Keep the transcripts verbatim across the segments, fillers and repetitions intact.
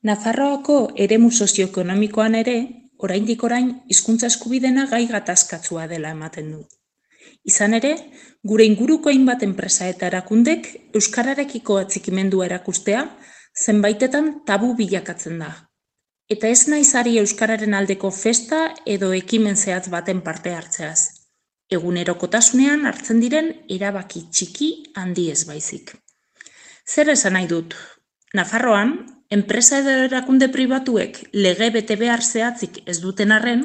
Nafarroako eremu sozioekonomikoan ere, oraindik orain hizkuntza eskubidena gai gatazkatsua dela ematen du. Izan ere, gure inguruko hainbat enpresa eta erakundek euskararekiko atxikimendua erakustea zenbaitetan tabu bilakatzen da. Eta ez naiz ari euskararen aldeko festa edo ekimen zehatz baten parte hartzeaz. Egunerokotasunean hartzen diren erabaki txiki handi ez baizik. Zer esan nahi dut? Nafarroan, enpresa edo erakunde pribatuek lege bete behar zehatzik ez duten arren,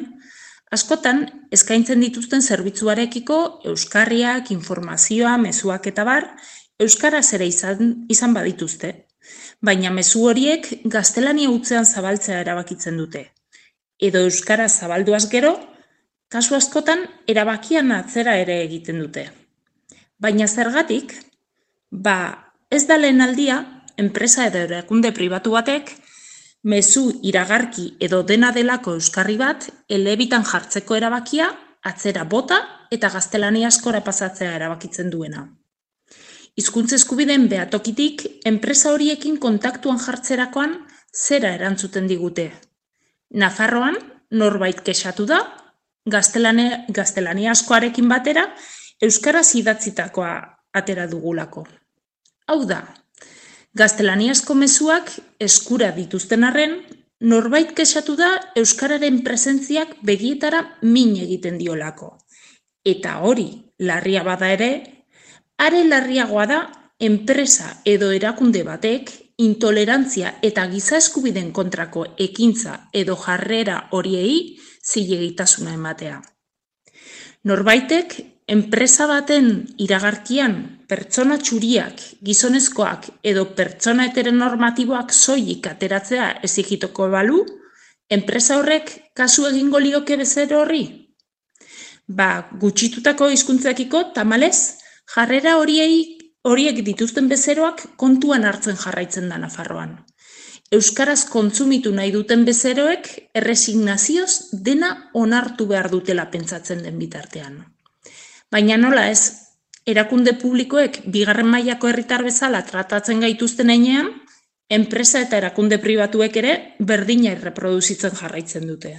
askotan eskaintzen dituzten zerbitzuarekiko euskarriak, informazioa, mezuak eta bar, euskaraz ere izan, izan badituzte. Baina mezu horiek gaztelania hutsean zabaltzea erabakitzen dute. Edo euskaraz zabalduaz gero, kasu askotan erabakian atzera ere egiten dute. Baina zergatik, ba ez da lehen aldia, enpresa edo erakunde pribatu batek, mezu iragarki edo dena delako euskarri bat elebitan jartzeko erabakia atzera bota eta gaztelaniazkora pasatzea erabakitzen duena. Hizkuntza eskubideen behatokitik enpresa horiekin kontaktuan jartzerakoan zera erantzuten digute. Nafarroan norbait kexatu da, gaztelaniazkoarekin batera euskaraz idatzitakoa atera dugulako. Hau da, gaztelaniazko mezuak eskura dituzten arren, norbait kexatu da euskararen presentziak begietara min egiten diolako. Eta hori larria bada ere, are larriagoa da enpresa edo erakunde batek intolerantzia eta giza eskubideen kontrako ekintza edo jarrera horiei zilegitasuna ematea. Norbaitek enpresa baten iragarkian pertsona txuriak, gizonezkoak edo pertsona heteronormatiboak soilik ateratzea exigituko balu, enpresa horrek kasu egingo lioke bezero horri? Ba, gutxitutako hizkuntzekiko tamalez, jarrera horiei, horiek dituzten bezeroak kontuan hartzen jarraitzen da Nafarroan. Euskaraz kontsumitu nahi duten bezeroek erresignazioz dena onartu behar dutela pentsatzen den bitartean. Baina nola ez, erakunde publikoek bigarren mailako herritar bezala tratatzen gaituzten heinean, enpresa eta erakunde pribatuek ere berdina erreproduzitzen jarraitzen dute.